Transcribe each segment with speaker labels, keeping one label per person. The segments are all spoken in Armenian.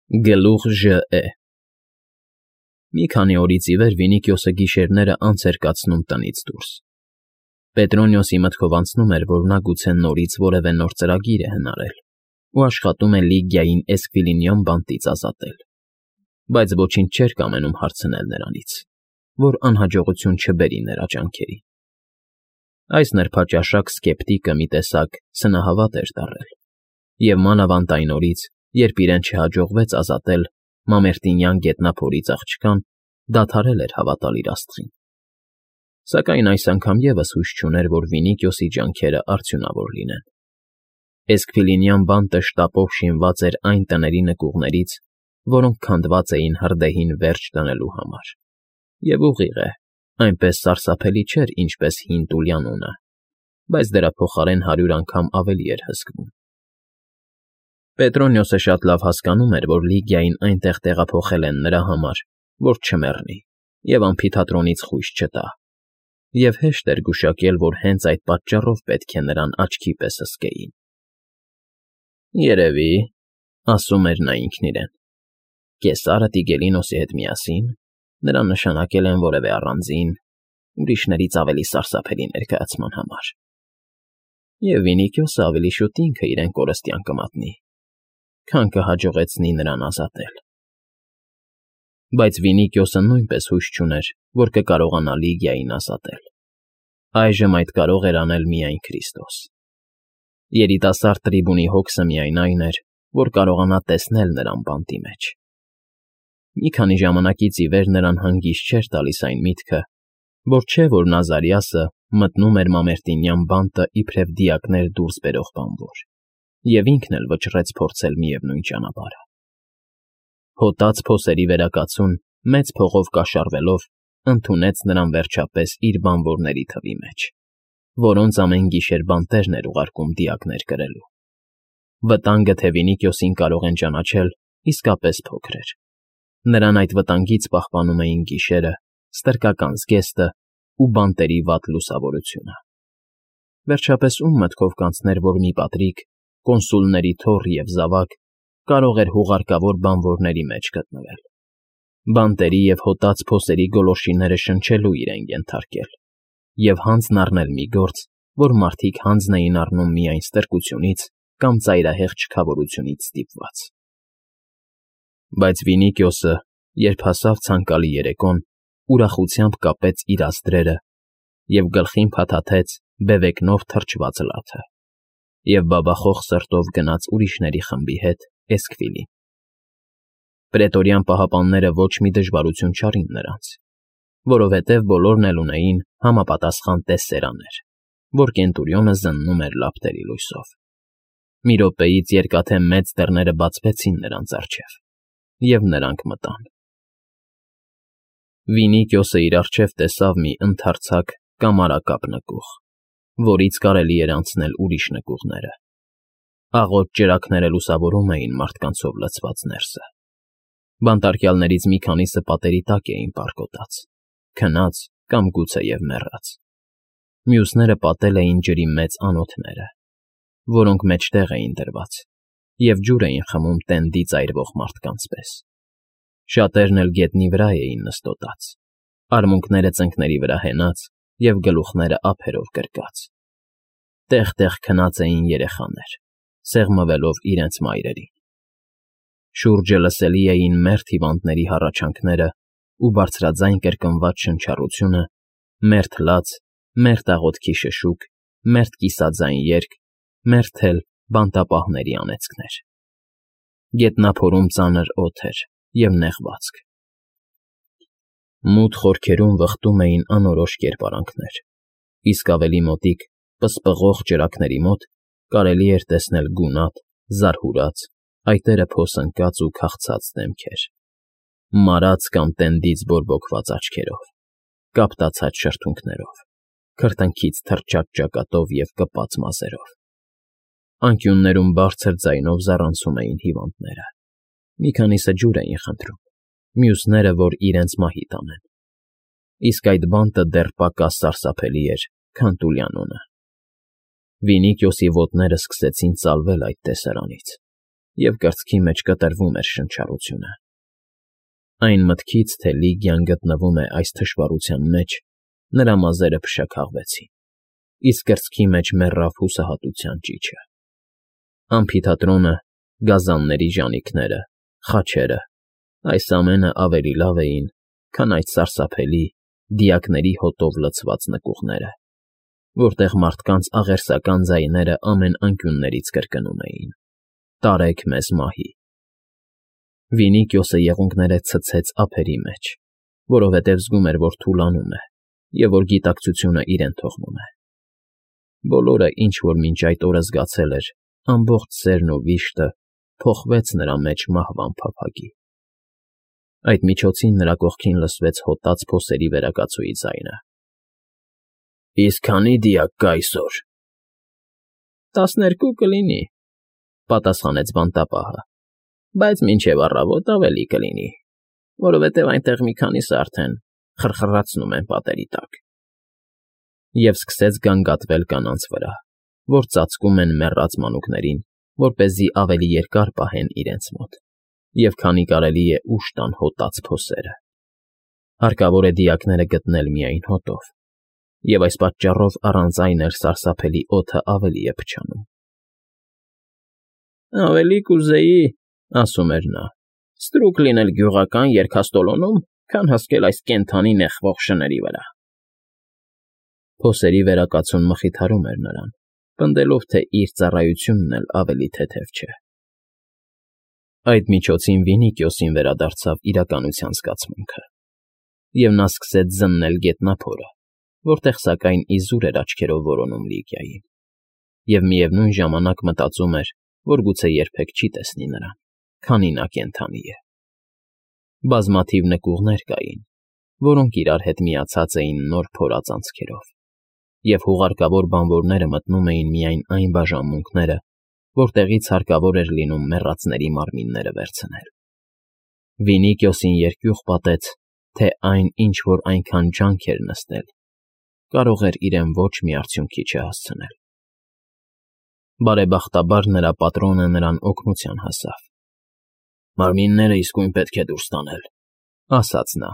Speaker 1: Գլուխ Ժ.Է. Մի քանի օրից ի վեր Վինիքիոսը գիշերները անց էր կացնում տնից դուրս։ Պետրոնիոսի մտքով անցնում էր, որ նա գուցե նորից որևէ նոր ծրագիր է հնարել ու աշխատում է Լիգիային Էսկվիլինյան բանտից ազատել, բայց ոչինչ չէր կամենում հարցնել նրանից, որ անհաջողություն չբերի նրա ջանքերին։ Այս նրբաճաշակ սկեպտիկը մի տեսակ սնահավատ էր դառել, և մանավանդ այն օրից, երբ իրեն չհաջողվեց ազատել Մամերտինյան գետնափորից աղջկան, դադարել էր հավատալ իր աստղին։ Սակայն այս անգամ ևս հույս չուներ, որ Վինիքիոսի ջանքերը արդյունավոր լինեն։ Էսկվիլինյան բանտը շտապով շինված էր այն տների նկուղներից, որոնք քանդված էին հրդեհին վերջ դնելու համար։ Եվ ուղիղ է, այնպես սարսափելի չէր, ինչպես հին Տուլյանոնը, բայց դրա փոխարեն 100 անգամ ավելի էր հսկվում։ Պետրոնիոսը շատ լավ հասկանում էր, որ Լիգիային այնտեղ տեղափոխել են նրա համար, որ չմեռնի և ամֆիթատրոնից խույս չտա, և հեշտ էր գուշակել, որ հենց այդ պատճառով պետք է նրան աչքի պես հսկեին։ «Երևի, — ասում էր նա ինքն իրեն, — Կեսարը Տիգելինոսի հետ միասին նրան նշանակել են որևէ առանձին, ուրիշներից ավելի սարսափելի ներկայացման համար, և Վինիքիոսը ավելի շուտ ինքը իրեն կորստյան կմատնի, քան կհաջողեցնի նրան ազատել»։ Բայց Վինիքիոսը նույնպես հույս չուներ, որ կկարողանա Լիգիային ազատել։ Այժմ այդ կարող էր անել միայն Քրիստոս։ Երիտասարդ տրիբունի հոգսը միայն այն էր, որ կարողանա տեսնել նրան բանտի մեջ։ Մի քանի ժամանակից ի վեր նրան հանգիստ չէր տալիս այն միտքը, որ չէ, որ Նազարիասը մտնում էր Մամերտինյան բանտը իբրև դիակներ դուրս բերող բանվոր, և ինքն էլ վճռեց փորձել միևնույն ճանապարհը։ Հոտած փոսերի վերակացուն, մեծ փողով կաշառվելով, ընդունեց նրան վերջապես իր բանվորների թվի մեջ, որոնց ամեն գիշեր բանտերն էր ուղարկում դիակներ կրելու։ Վտանգը, թե Վինիքիոսին կարող են ճանաչել, իսկապես փոքր էր։ Նրան այդ վտանգից պահպանում էին գիշերը, ստրկական զգեստը ու բանտերի վատ լուսավորությունը։ Վերջապես ում մտքով կանցներ, որ մի պատրիկ, կոնսուլների թոռ և զավակ կարող էր հուղարկավոր բանվորների մեջ գտնվել, բանտերի և հոտած փոսերի գոլորշիները շնչելու իրեն ենթարկել և հանձն առնել մի գործ, որ մարդիկ հանձն էին առնում միայն ստրկությունից կամ ծայրահեղ չքավորությունից ստիպված։ Բայց Վինիքիոսը, երբ հասավ ցանկալի երեկոն, ուրախությամբ կապեց իր աստրերը և գլխին փաթաթեց բևեկնով թրջված լաթը և բաբախող սրտով գնաց ուրիշների խմբի հետ Էսքվիլի։ Պրետորյան պահապանները ոչ մի դժվարություն չարին նրանց, որովհետև բոլորն էլ ունեին համապատասխան տեսերաներ, որ Կենտուրիոնը զննում էր լապտերի լույսով։ Մի րոպեից երկաթե մեծ դռները բացվեցին նրանց առջև, և նրանք մտան։ Վինիքիոսը իր առջև տեսավ մի ընդարձակ կամարակապ նկուղ, որից կարելի էր անցնել ուրիշ նկուղները։ Աղոտ ճրագները լուսավորում էին մարդկանցով լցված ներսը։ Բանտարկյալներից մի քանիսը պատերի տակ էին պառկոտած, քնած կամ գուցեև մեռած։ Մյուսները պատել էին ջրի մեծ անոթները, որոնք մեջտեղ էին դրված, և ջուր էին խմում տենդից այրվող մարդկանց պես։ Շատերն էլ գետնի վրա էին նստոտած, արմունկները ծնկների վրա հենած և գլուխները ափերով գրկած։ Տեղ֊տեղ քնած էին երեխաներ, սեղմվելով իրենց մայրերին։ Շուրջը լսելի էին մերթ հիվանդների հառաչանքները ու բարձրաձայն կրկնված շնչառությունը, մերթ լաց, մերթ աղոթքի շշուկ, մերթ կիսաձայն երգ, մերթ էլ բանտապահների անեծքներ։ Գետնափորում ծանր օդ էր և նեղվածք։ Մութ խորքերում վխտում էին անորոշ կերպարանքներ, իսկ ավելի մոտիկ, պսպղող ճրագների մոտ կարելի էր տեսնել գունատ, զարհուրած, այտերը փոս ընկած ու քաղցած դեմքեր, մարած կամ տենդից բորբոքված աչքերով, կապտացած շրթունքներով, քրտինքից թրջած ճակատով և կպած մազերով։ Անկյուններում բարձր ձայնով զառանցում էին հիվանդները։ Մի քանիսը ջուր էին խնդրում, մյուսները, որ իրենց մահի տանեն։ Իսկ այդ բանտը դեռ պակաս սարսափելի էր, քան Տուլյանոնը։ Վինիքիոսի ոտները սկսեցին ծալվել այդ տեսարանից, և կրծքի մեջ կտրվում էր շնչառությունը։ Այն մտքից, թե Լիգիան գտնվում է այս թշվառության մեջ, նրա մազերը փշաքաղվեցին, իսկ կրծքի մեջ մեռավ հուսահատության ճիչը։ Ամֆիթատրոնը, գազանների ժանիքները, խաչերը, այս ամենը ավելի լավ էին, քան այդ սարսափելի, դիակների հոտով լցված նկուղները, որտեղ մարդկանց աղերսական ձայները ամեն անկյուններից կրկնում էին. «Տարեք մեզ մահի»։ Վինիքիոսը եղունգները ցցեց ափերի մեջ, որովհետև զգում էր, որ թուլանում է և որ գիտակցությունը իրեն թողնում է։ Բոլորը, ինչ որ մինչ այդ օրը զգացել էր, ամբողջ սերն ու վիշտը, փոխվեց նրա մեջ մահվան փափագի։ Այդ միջոցին նրա կողքին լսվեց հոտած փոսերի վերակացուի ձայնը։ «Իսկ քանի՞ դիակ կա այսօր»։ 12 կլինի, պատասխանեց բանտապահը, բայց մինչև առավոտ ավելի կլինի, որովհետև այնտեղ մի քանիսը արդեն խրխռացնում են պատերի տակ։ Եվ սկսեց գանգատվել կանանց վրա, որ ծածկում են մեռած մանուկներին, որպեսզի ավելի երկար պահեն իրենց մոտ, և քանի կարելի է ուշ տան հոտած փոսերը։ Հարկավոր է դիակները գտնել միայն հոտով, և այս պատճառով առանց այն էլ սարսափելի օդը ավելի է փչանում։ «Ավելի կուզեի, — ասում էր նա, — ստրուկ լինել գյուղական երգաստոլոնում, քան հսկել այս կենդանի նեղվող շների վրա»։ Փոսերի վերակացուն մխիթարում էր նրան, պնդելով, թե իր ծառայությունն էլ ավելի թեթև չէ։ Այդ միջոցին Վինիքիոսին վերադարձավ իրականության զգացմունքը, և նա սկսեց զննել գետնափորը, որտեղ, սակայն, իզուր էր աչքերով որոնում Լիգիային, և միևնույն ժամանակ մտածում էր, որ գուցե երբեք չի տեսնի նրան, քանի նա կենդանի է։ Բազմաթիվ նկուղներ կային, որոնք իրար հետ միացած էին նոր փորած անցքերով, և հուղարկավոր բանվորները մտնում էին միայն այն բաժանմունքները, որտեղից հարկավոր էր լինում մեռածների մարմինները վերցնել։ Վինիքիոսին երկյուղ պատեց, թե այն, ինչ որ այնքան ջանք էր նստել, կարող էր իրեն ոչ մի արդյունքի չհասցնել։ Բարեբախտաբար նրա պատրոնը նրան օգնության հասավ։ «Մարմինները իսկույն պետք է դուրս տանել», ֊ ասաց նա,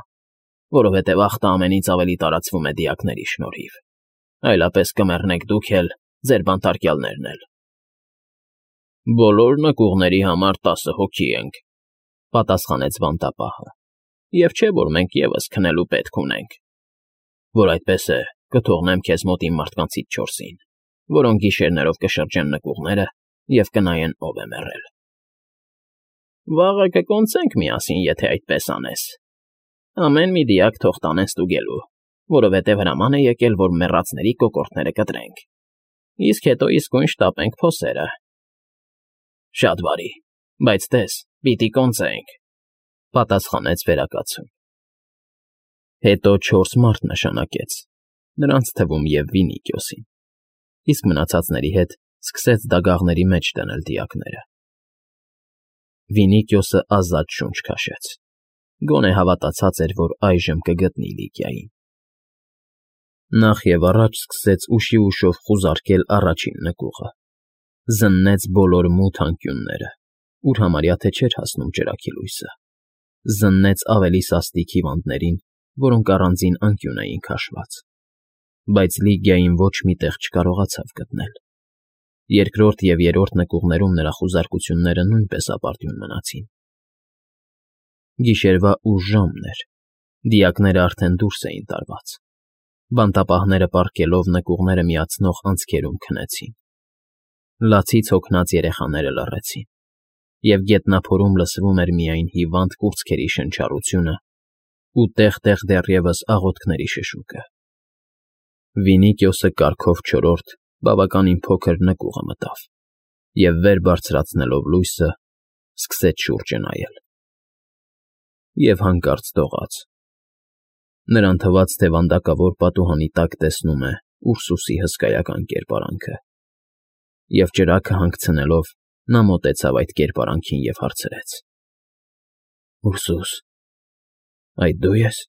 Speaker 1: «որովհետև ախտը ամենից ավելի տարածվում է դիակների շնորհիվ, այլապես կմեռնեք դուք էլ, ձեր բանտարկյալներն էլ»։ «Բոլոր նկուղների համար 10 հոգի ենք», ֊ պատասխանեց բանտապահը, «և չէ՞ որ մենք ևս քնելու պետք ունենք։ Որ այդպես է, կթողնեմ քեզ մոտ իմ մարդկանցից 4-ին, որոնք գիշերներով կշրջեն նկուղները և կնայեն ով է մեռել»։ «Վաղը կկոնծենք միասին, եթե այդպես անես։ Ամեն մի դիակ թող տանեն ստուգելու, որովհետև հրաման է եկել, որ մեռածների կոկորդները կտրենք, իսկ հետո իսկույն շտապենք փոսերը»։ «Շատ բարի, բայց տես, պիտի կոնծենք», ֊ պատասխանեց վերակացուն։ Հետո 4 մարդ նշանակեց, նրանց թվում և Վինիքիոսին, իսկ մնացածների հետ սկսեց դագաղների մեջ դնել դիակները։ Վինիքիոսը ազատ շունչ քաշեց, գոնե հավատացած էր, որ այժմ կգտնի Լիգիային։ Նախ և առաջ սկսեց ուշիուշով խուզարկել առաջին նկուղը, զննեց բոլոր մութ անկյունները, ուր համարյա թե չէր հասնում ճրագի լույսը, զննեց ավելի սաստիկ հիվանդներին, որոնք առանձին անկյուն էին քաշված, բայց Լիգիային ոչ մի տեղ չկարողացավ գտնել։ Երկրորդ և երրորդ նկուղներում նրա խուզարկությունները նույնպես ապարդյուն մնացին։ Գիշերվա ուշ ժամն էր, դիակները արդեն դուրս էին տարված, բանտապահները պառկելով նկուղները միացնող անցքերում քնեցին։ Լացից հոգնած երեխաները լռեցին, և գետնափորում լսվում էր միայն հիվանդ կուրծքերի շնչառությունը ու տեղ֊տեղ դեռևս աղոթքների շշուկը։ Վինիքիոսը կարգով չորրորդ, բավականին փոքր նկուղը մտավ և, վեր բարձրացնելով լույսը, սկսեց շուրջը նայել։ Եվ հանկարծ դողաց։ Նրան թվաց, թե վանդակավոր պատուհանի տակ տեսնում է Ուրսուսի հսկայական կերպարանքը, և ճրագը հանգցնելով նա մոտեցավ այդ կերպարանքին և հարցրեց. «Ուրսուս, այդ դու ես»։